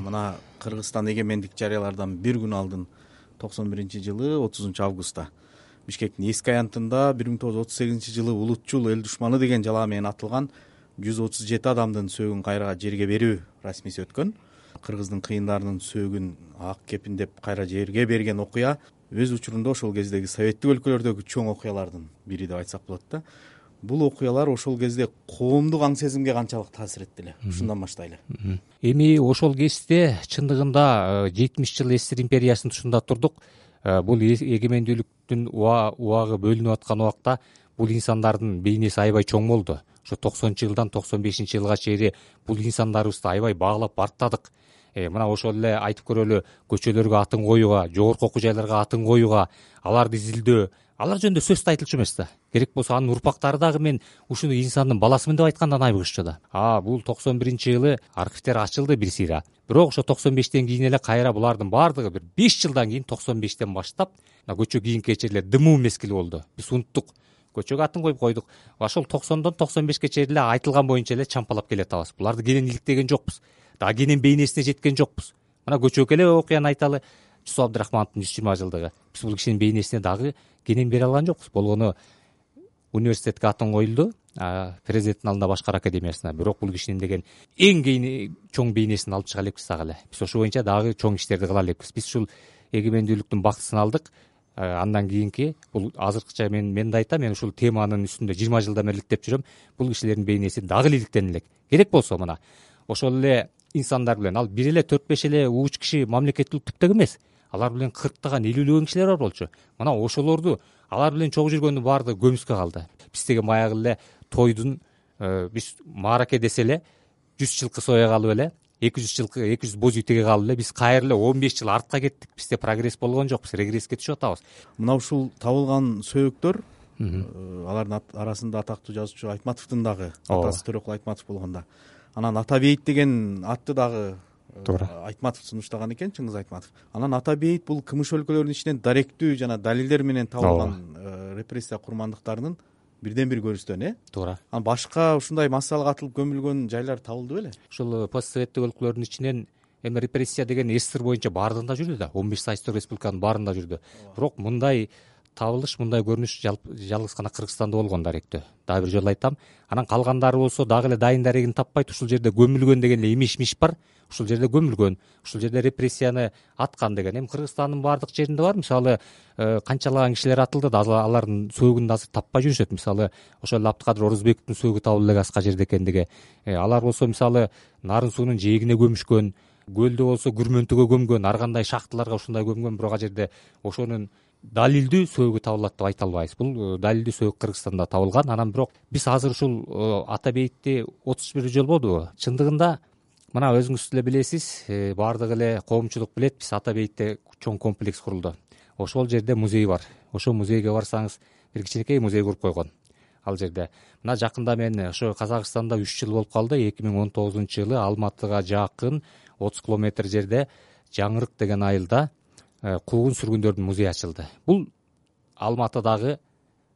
мына Кыргызстан эгемендик жарыялардан бир күн алдын 91-жылы 30 августта Бишкектин эски аянтында 1938-жылы улутчул эл душманы деген жалаа менен атылган 137 адамдын сөөгүн кайра жерге берүү расмиси өткөн. Кыргыздын кыйындарынын сөөгүн ак кепиндеп кайра жерге берген окуя өз учурунда ошол кездеги советтик өлкөлөрдөгү чоң окуялардын бири деп айтсак болот да. Бул окуялар ошол кезде коомдук аң сезимге канчалык таасир этти эле? Ушундан баштайлы. Эми ошол кезде чындыгында 70 жыл СССР империясынын тушунда турдук. Бул эгемендүүлүктүн убагы бөлүнүп аткан убакта бул инсандардын бейнеси аябай чоң болду. Ошо 90-жылдан 95-жылга чейин бул инсандарыбызды аябай баалап барктадык. Мына ошол эле айтып көрөлү, көчөлөргө атын коюуга, жогорку окуу жайларга атын коюуга, аларды изилдөө, алар жөнүндө сөз да айтылчу эмес да. Керек болсо анын урпактары дагы мен ушуну инсандын баласымын деп айткандан айбыгышчу да. Бул 91-жылы архивдер ачылды бир сыйра. Бирок ошо 95-тен кийин эле кайра булардын баардыгы бир 5 жылдан кийин 95-тен баштап көчө кийинки кечээ дымуу мезгили болду. Биз унуттук. Көчөгө атын коюп койдук. Ошол 90дон 95ге чейин эле айтылган боюнча эле чампалап келатабыз. Буларды кенен иликтеген жокпуз. Дагы кенен бейнесине жеткен жокпуз. Мына көчөгө эле окуяны айталы. Жусуп Абдрахмановдун 120 жылдыгы. Биз бул кишинин бейнесине дагы кенен бере алган жокпуз. Болгону университетке атын коюлду, президенттин алдында башкар академиясына. Бирок бул кишинин деген эң чоң бейнесин алып чыга элекпиз дагы эле. Биз ошол боюнча дагы чоң иштерди кыла элекпиз. Биз ушул эгемендүүлүктүн бактысын алдык. Андан кийинки бул азыркыча мен да айтам, мен ушул теманын үстүндө 20 жылдан бери иликтеп жүрөм. Бул кишилердин бейнеси дагы иликтен элек. Керек болсо мына ошол эле инсандар билен ал бир эле 4-5 эле ууч киши мамлекеттүүлүк түптөк эмес. Алар билен 40таган 50-лөгөн кишилер бар болчу. Мына ошолорду алар билен чогуу жүргөндүн баардыгы көмүскө калды. Биз деген баягы эле тойдун биз маараке десе эле 100 жылкы соя калып эле 200 жылкы 200 боз үй теге калып эле биз кайра эле 15 жыл артка кеттик. Бизде прогресс болгон жок, биз регресске түшүп атабыз. Мына ушул табылган сөөгдөр алардын арасында атактуу жазуучу Айтматовдун дагы атасы Төрөкул Айтматов болгондо. Анан Ата бейит деген атты дагы Айтматов сунуштаган экен, Чыңгыз Айтматов. Анан Ата бейит бул кымыш өлкөлөрүнүн ичинен даректүү жана далилдер менен табылган репрессия курмандыктарынын бирден бир көрүнүштөн, туура. Анан башка ушундай массалык атылып көмүлгөн жайлар табылды беле? Ушул постсоветтик өлкөлөрдүн ичинен эми репрессия деген СССР боюнча баардыгында жүрдү да, 15 союздук республиканын баарында жүрдү. Бирок мындай табылыш, мындай көрүнүш жалгыз гана Кыргызстанда болгон даректөө. Дагы бир жолу айтам. Анан калгандары болсо дагы эле дайын дарегин таппайт. Ушул жерде көмүлгөн деген эле имиш бар. Ушул жерде көмүлгөн, ушул жерде репрессияны аткан деген. Эми Кыргызстандын баардык жеринде бар. Мисалы, канчалаган кишилер атылды да алардын сөөгүн да азыр таппай жүрүшөт. Мисалы, ошол Абдыкадыр Орозбековдун сөөгү табылды эле аска жерде экендиги. Алар болсо мисалы Нарын суунун жээгине көмүшкөн, көлдө болсо Күрмөнтүгө көмгөн, ар кандай шахталарга ушундай көмгөн. Бирок ал жерде ошонун далилдүү сөөгү табылат деп айта албайбыз. Бул далилдүү сөөгү Кыргызстанда табылган. Анан бирок биз азыр ушул Ата бейитти 31 жыл болду. Чындыгында мына өзүңүз деле билесиз, баардык эле коомчулук билет, биз Ата бейитте чоң комплекс курулду. Ошол жерде музей бар. Ошол музейге барсаңыз, бир кичинекей музей куруп койгон. Ал жерде мына жакында мен ошо Казакстанда 3 жыл болуп калды. 2019-жылы Алматыга жакын 30 километр жерде Жаңырык деген айылда куугун сүргүндөрдүн музейи ачылды. Бул Алматыдагы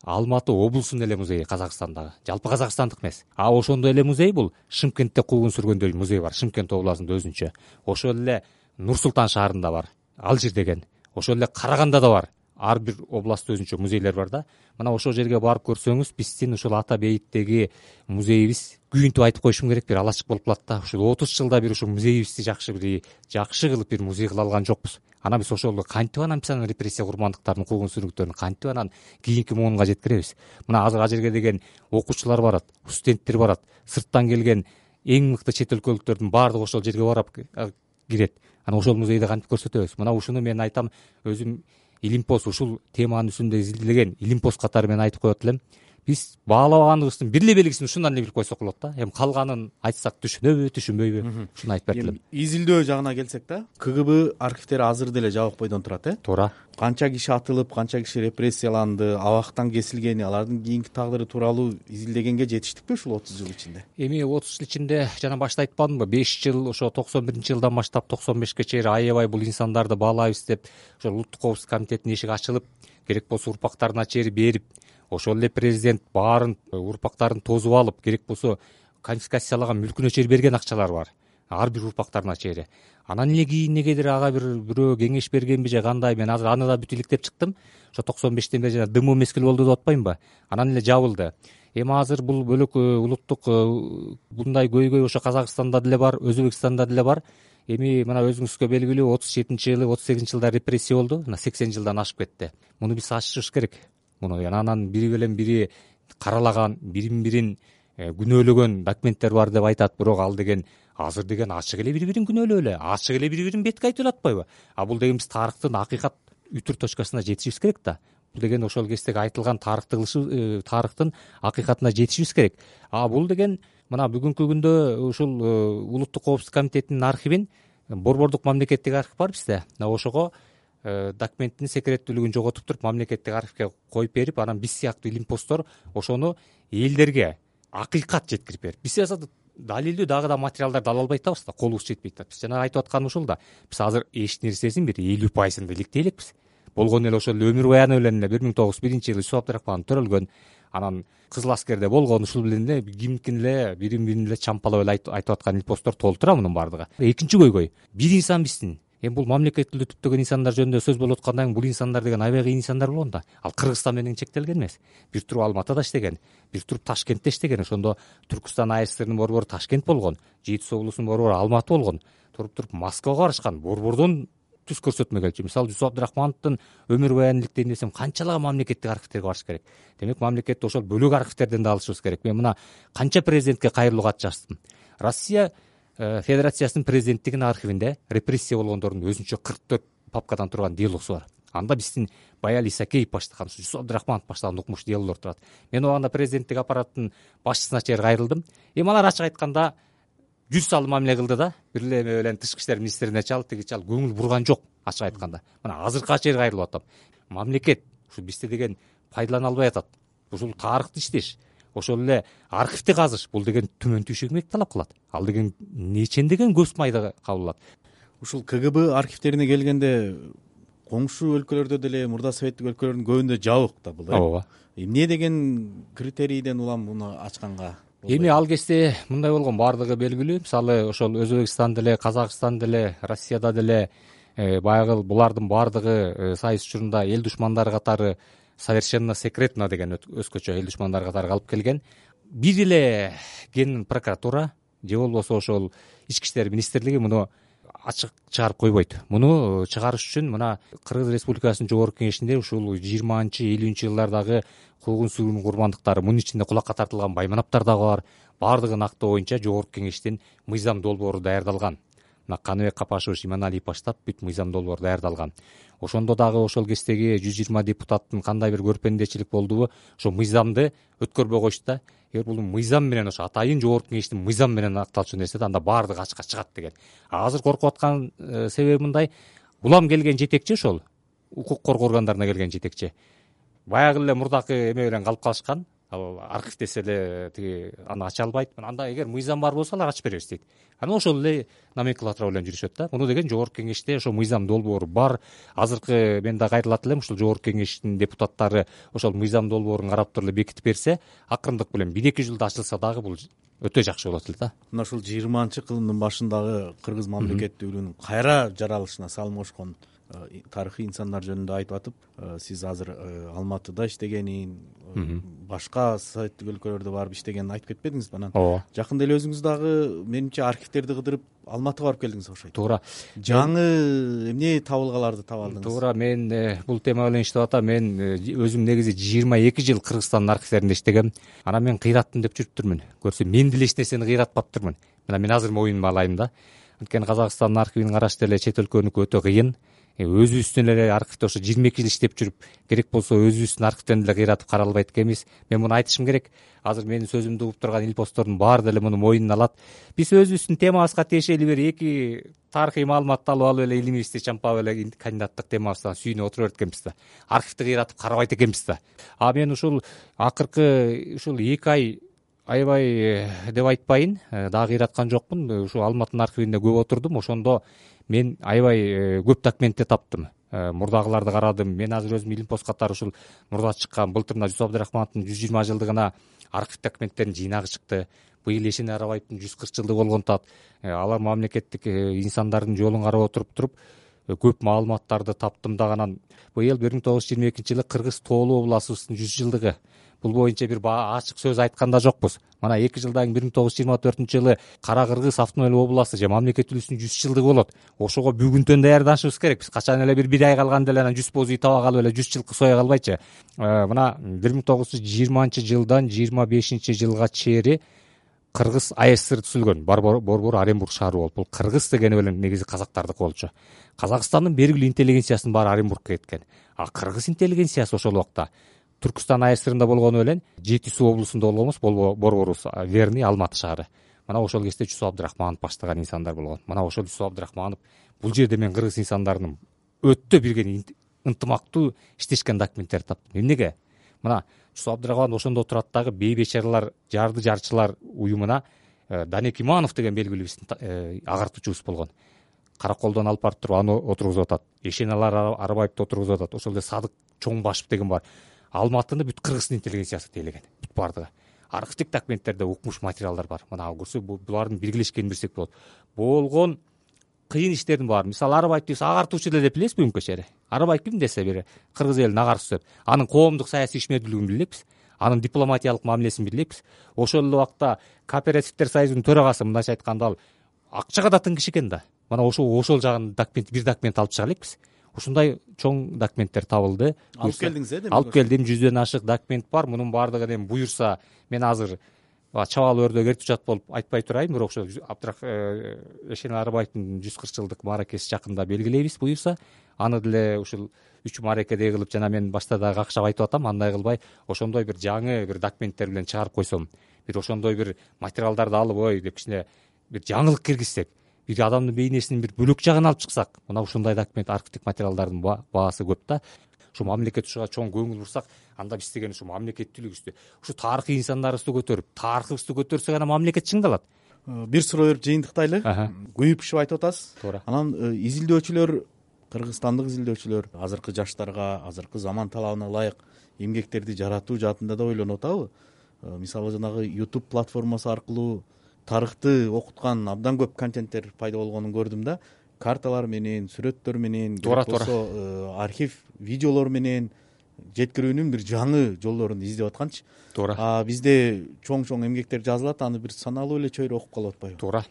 Алматы облусунун эле музейи, Казакстандагы. Жалпы казакстандык эмес. Ошондой эле музей бул Шымкентте куугун сүргөндөрдүн музейи бар. Шымкент областында өзүнчө. Ошол эле Нур Султан шаарында бар. Алжир деген. Ошол эле Карагандада бар. Ар бир областта өзүнчө музейлер бар да. Мына ошол жерге барып көрсөңүз, биздин ушул Ата бейиттеги музейибиз күйүнтүп айтып коюшум керек, бир алачык болуп калат да. Ушул 30 жылда бир ушул музейибизди жакшы кылып бир музей кыла алган жокпуз. Анан биз ошол кантип анан биз анан репрессия курмандыктарынын куугун сүргүндөрүн кантип анан кийинки муунга жеткиребиз? Мына азыр ал жерге деген окуучулар барат, студенттер барат, сырттан келген эң мыкты чет өлкөлүктөрдүн баардыгы ошол жерге барып кирет. Анан ошол музейди кантип көрсөтөбүз? Мына ушуну мен айтам, өзүм Илимпост ушул теманын үстүндө изилдеген Илимпост катары мен айтып коет элем. Биз баалабаганыбыздын бир эле белгисин ушундан эле билип койсок болот да. Эми калганын айтсак түшүнөбү, түшүнбөйбү? Ушуну айтып берет элем. Изилдөө жагына келсек да, КГБ архивдери азыр деле жабык бойдон турат, Туура. Канча киши атылып, канча киши репрессияланды, абактан кесилгени, алардын кийинки тагдыры тууралуу изилдегенге жетиштикпи ушул 30 жыл ичинде? Эми 30 жыл ичинде жана башта айтпадымбы, 5 жыл ошо 91-жылдан баштап 95ке чейин аябай бул инсандарды баалайбыз деп ошо Улуттук коопсуздук комитетинин эшиги ачылып, керек болсо урпактарына чейин берип, ошол эле президент баарын урпактарын тосуп алып, керек болсо конфискациялаган мүлкүнө чейин берген акчалар бар. ар бир урпактарына чейин. Анан эле кийин негедир ага бирөө кеңеш бергенби же кандай, мен азыр аны да бүт иликтеп чыктым. Ошо 95-тен бери жана дымуу мезгил болду деп атпаймынбы? Анан эле жабылды. Эми азыр бул бөлөк улуттук мындай көйгөй ошо Казакстанда деле бар, Өзбекстанда деле бар. Эми мына өзүңүзгө белгилүү 37-жылы, 38-жылда репрессия болду. Мына 80 жылдан ашып кетти. Муну биз ачышыбыз керек. Муну анан бири менен бири каралаган, бирин күнөөлөгөн документтер бар деп айтат. Бирок ал деген азыр деген ачык эле бири-бирин күнөөлөп эле, ачык эле бири-бирин бетке айтып атпайбы? Бул деген биз тарыхтын акыйкат үтүр точкасына жетишибиз керек да. Бул деген ошол кездеги айтылган тарыхтын акыйкатына жетишибиз керек. Бул деген мына бүгүнкү күндө ушул улуттук коопсуздук комитетинин архивин, борбордук мамлекеттик архив бар бизде. Ошого документтин секреттүүлүгүн жоготуп туруп мамлекеттик архивге коюп берип, анан биз сыяктуу илимпоздор ошону элдерге акыйкат жеткирип берип, биз далилдүү дагы да материалдарды ала албай атабыз да, колубуз жетпей атат. Биз жана айтып атканым ушул да. Биз азыр эч нерсесин бир 50% иликтей элекпиз. Болгону эле ошол өмүр баяны менен эле 1901-жылы Юсуп Абдрахманов төрөлгөн, анан Кызыл аскерде болгон, ушул менен эле кимдикин эле бирин эле чампалап эле айтып аткан илимпоздор толтура мунун баардыгы. Экинчи көйгөй, бир инсан бизсин. Эми бул мамлекеттүүлүктү түптөгөн инсандар жөнүндө сөз болуп аткандан кийин бул инсандар деген аябай кыйын инсандар болгон да. Ал Кыргызстан менен чектелген эмес. Бир туруп Алматыда иштеген, бир туруп Ташкентте иштеген. Ошондо Түркүстан АССРнин борбору Ташкент болгон, Жети Суу улусунун борбору Алматы болгон. Туруп Москвага барышкан, борбордон түз көрсөтмө келчү. Мисалы Юсуп Абдрахмановдун өмүр баянын иликтейм десем, канчалаган мамлекеттик архивтерге барыш керек. Демек мамлекетти ошол бөлөк архивтерден да алышыбыз керек. Мен мына канча президентке кайрылуу кат жаздым. Россия Федерациясынын президенттигинин архивинде репрессия болгондордун өзүнчө 44 папкадан турган делосу бар. Анда биздин Баял Исакеев баштаган, Юсуп Абдрахманов баштаган укмуш делолор турат. Мен убагында президенттик аппараттын башчысына чейин кайрылдым. Эми алар ачык айтканда жүз салым мамиле кылды да. Бир эле менен тышкы иштер министрине чалып, тиги чалып көңүл бурган жок, ачык айтканда. Мына азыркыга чейин кайрылып атам. Мамлекет ушу бизде деген пайдалана албай атат. Ушул тарыхты иштеш, ошол эле архивди казыш, бул деген төмөн түйшөк эмгек талап кылат. Ал деген нечендеген көз майда кабыл алат. Ушул КГБ архивтерине келгенде коңшу өлкөлөрдө деле, мурда советтик өлкөлөрдүн көбүндө жабык да бул. Ооба. Эмне деген критерийден улам муну ачканга? Эми ал кезде мындай болгон, баардыгы белгилүү. Мисалы ошол Өзбекстанда деле, Казакстанда деле, Россияда деле баягы булардын баардыгы сайыс учурунда эл душмандары катары совершенно секретно деген өзгөчө эл душмандары катары алып келген. Бир эле ген прокуратура же болбосо ошол ички иштер министрлиги муну ачык чыгарып койбойт. Муну чыгарыш үчүн мына Кыргыз Республикасынын жогорку кеңешинде ушул 20-50 жылдардагы куугун сүргүн курмандыктары, мунун ичинде кулакка тартылган Байманаптар дагы бар. Баардыгын актоо боюнча жогорку кеңештин мыйзам долбоору даярдалган. Мына Каныбек Капашевич, Иманалиев баштап бүт мыйзам долбоор даярдалган. Ошондо дагы ошол кездеги 120 депутаттын кандай бир көрпендечилик болдубу, ошо мыйзамды өткөрбөй коюшту да. Эгер бул мыйзам менен, ошо атайын жогорку кеңештин мыйзам менен акталчу нерсе да, анда баардыгы ачыкка чыгат деген. Азыр коркуп аткан себеби мындай: улам келген жетекчи, ошол укук коргоо органдарына келген жетекчи баягы эле мурдакы эме менен калып калышкан. Архив десе эле тиги аны ача албайт. Анда эгер мыйзам бар болсо алар ачып беребиз дейт. Анан ошол эле номенклатура менен жүрүшөт да. Муну деген жогорку кеңеште ошо мыйзам долбоору бар. Азыркы мен да кайрылат элем, ушул жогорку кеңештин депутаттары ошол мыйзам долбоорун карап туруп эле бекитип берсе, акырындык менен 1-2 жылда ачылса дагы бул өтө жакшы болот эле да. Мына ушул 20-кылымдын башындагы кыргыз мамлекеттүүлүгүнүн кайра жаралышына салым кошкон тарыхый инсандар жөнүндө айтып атып, сиз азыр Алматыда иштегенин, башка советтик өлкөлөрдө барып иштегенин айтып кетпедиңизби? Анан жакында эле өзүңүз дагы менимче архивтерди кыдырып Алматыга барып келдиңиз окшойт. Туура. Жаңы эмне табылгаларды таба алдыңыз? Туура, мен бул тема менен иштеп атам. Мен өзүм негизи 22 жыл Кыргызстандын архивтеринде иштегем. Анан мен кыйраттым деп жүрүптүрмүн. Көрсө мен деле эч нерсени кыйратпаптырмын. Мына мен азыр моюнума алайын да. Анткени Казакстандын архивин караш деле чет өлкөнүкү өтө кыйын. Өзүбүздүн эле архивде ошо 22 жыл иштеп жүрүп, керек болсо өзүбүздүн архивден деле кыйратып карала албайт экенбиз. Мен муну айтышым керек. Азыр менин сөзүмдү угуп турган илпостордун баары деле муну моюнуна алат. Биз өзүбүздүн темабызга тиешелүү бир 2 тарыхый маалыматты алып эле илимибизди чампап эле кандидаттык темабыздан сүйүнүп отура берет экенбиз да. Архивди кыйратып карабайт экенбиз да. Мен ушул акыркы ушул 2 ай аябай деп айтпайын, дагы кыйраткан жокмун. Ушул Алматынын архивинде көп отурдум. Ошондо мен аябай көп документти таптым. Мурдагыларды карадым. Мен азыр өзүм илимпоз катары ушул мурда чыккан былтыр Юсуп Абдрахмановдун 120 жылдыгына архив документтеринин жыйнагы чыкты. быйыл Эшене Арабаевдин 140 жылдыгы болгон атат. Алар мамлекеттик инсандардын жолун карап отуруп көп маалыматтарды таптым дагы. Анан быйыл 1922-жылы Кыргыз Тоолуу областыбыздын 100 жылдыгы. Бул боюнча бир ачык сөз айткан да жокпуз. Мына 2 жылдан кийин 1924-жылы Кара Кыргыз автономиялык областы же мамлекеттүүлүгүбүздүн 100 жылдыгы болот. Ошого бүгүнтөн даярданышыбыз керек. Биз качан эле бир ай калганда эле анан 100 боз үй таба калып эле 100 жылкы сое калбайчы. Мына 1920-жылдан 25-жылга чейин Кыргыз АССР түзүлгөн. Борбор Оренбург шаары болуп. Бул Кыргыз деген эле негизи казактардыкы болчу. Казакстандын белгилүү интеллигенциясынын баары Оренбургка кеткен. А Кыргыз интеллигенциясы ошол убакта Түркүстан АССРында болгону менен Жети Суу облусунда болгонбуз, борборубуз Верный, Алматы шаары. Мына ошол кезде Жусуп Абдрахманов баштаган инсандар болгон. Мына ошол Жусуп Абдрахманов бул жерде мен кыргыз инсандарынын өтө бирге ынтымактуу иштешкен документтерди таптым. Эмнеге? Мына Жусуп Абдрахманов ошондо турат дагы бей бечаралар жарды жарчылар уюмуна Данек Иманов деген белгилүү биздин агартуучубуз болгон. Караколдон алып барып туруп аны отургузуп атат. Эшене Арабаевди отургузуп атат. Ошол эле Садык Чоңбашев деген бар. Алматыны бүт кыргыздын интеллигенциясы тейлеген. Бүт бардыгы. Архивдик документтерде укмуш материалдар бар. Мына көрсө булардын биргелешкенин билсек болот. Болгон кыйын иштердин баары. Мисалы Арабаев биз агартуучу эле деп билебиз бүгүнкү чейин. Арабаев ким десе бир кыргыз элинин агарчысы деп. Анын коомдук саясий ишмердүүлүгүн билебиз. Анын дипломатиялык мамилесин билебиз. Ошол эле убакта кооперативдер союзунун төрагасы мындайча айтканда ал акчага да тың киши экен да. Мына ошол жагын бир документ алып чыга элекпиз. Ушундай чоң документтер табылды. Алып келдиңиз демек? Алып келдим. 100дөн ашык документ бар. Мунун баардыгы эми буюрса мен азыр чабал өрдө эртип жатып болуп айтпай турайын, бирок ошо Эшене Арабаевдин 140 жылдык мааракеси жакында белгилейбиз буюрса. Аны деле ушул 3 мааракедей кылып, жана мен башта да какшап айтып атам, андай кылбай ошондой бир жаңы бир документтер менен чыгарып койсом, бир ошондой бир материалдарды алып деп кичине бир жаңылык киргизсек, бир адамдын бейнесинин бир бөлөк жагын алып чыксак, мына ушундай документ, архивдик материалдардын баасы көп да. Ушу мамлекет ушуга чоң көңүл бурсак, анда биз деген ушу мамлекеттүүлүгүбүздү, ушу тарыхый инсандарыбызды көтөрүп, тарыхыбызды көтөрсөк, анан мамлекет чыңдалат. Бир суроо берип жыйынтыктайлы. Күйүп-пышып айтып атасыз. Туура. Анан изилдөөчүлөр, кыргызстандык изилдөөчүлөр азыркы жаштарга, азыркы заман талабына ылайык эмгектерди жаратуу жаатында да ойлонуп атабы? Мисалы жанагы YouTube платформасы аркылуу тарыхты окуткан абдан көп контенттер пайда болгонун көрдүм да. Карталар менен, сүрөттөр менен, болсо архив видеолор менен жеткирүүнүн бир жаңы жолдорун издеп атканчы. Туура. Бизде чоң эмгектер жазылат, аны бир саналуу эле чөйрө окуп калып атпайбы? Туура.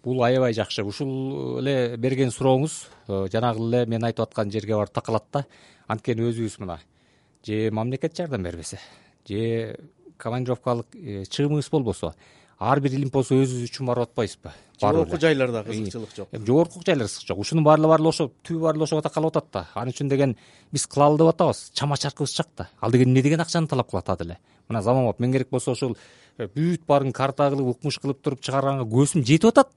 Бул аябай жакшы. Ушул эле берген сурооңуз жанагы эле мен айтып аткан жерге барып такалат да. Анткени өзүбүз мына же мамлекет жардам бербесе, же командировкалык чыгымыбыз болбосо, ар бир илимпоз өзүбүз үчүн барып атпайбызбы? Жогорку жайларда кызыкчылык жок. Жогорку жайлар кызык жок. Ушунун баары ошо түбү баары ошого такалып атат да. Анын үчүн деген биз кылалы деп атабыз. Чама чаркыбыз чак да. Ал деген эмне деген акчаны талап кылат деле. Мына заманбап мен керек болсо ошол бүт баарын карта кылып, укмуш кылып туруп чыгарганга көзүм жетип атат.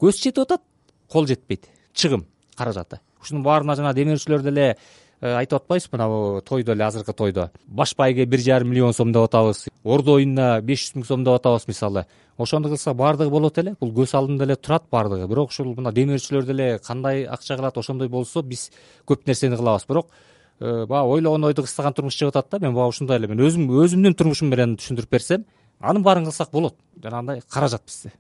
Көз жетип атат, кол жетпейт. Чыгым, каражаты. Ушунун баарына жана демирчилер деле айтып атпайбызбы, мына тойдо эле, азыркы тойдо баш байге 1,5 миллион сом деп атабыз, ордо оюнуна 500 000 сом деп атабыз мисалы. Ошондо кылса баардыгы болот эле, бул көз алдында эле турат баардыгы. Бирок ушул мына демирчилер деле кандай акча кылат, ошондой болсо биз көп нерсени кылабыз. Бирок баягы ойлогон ойду кыстаган турмуш чыгып атат да. Мен баягы ушундай эле, мен өзүмдүн турмушум менен түшүндүрүп берсем, анын баарын кылсак болот. Жанагындай каражат бизде.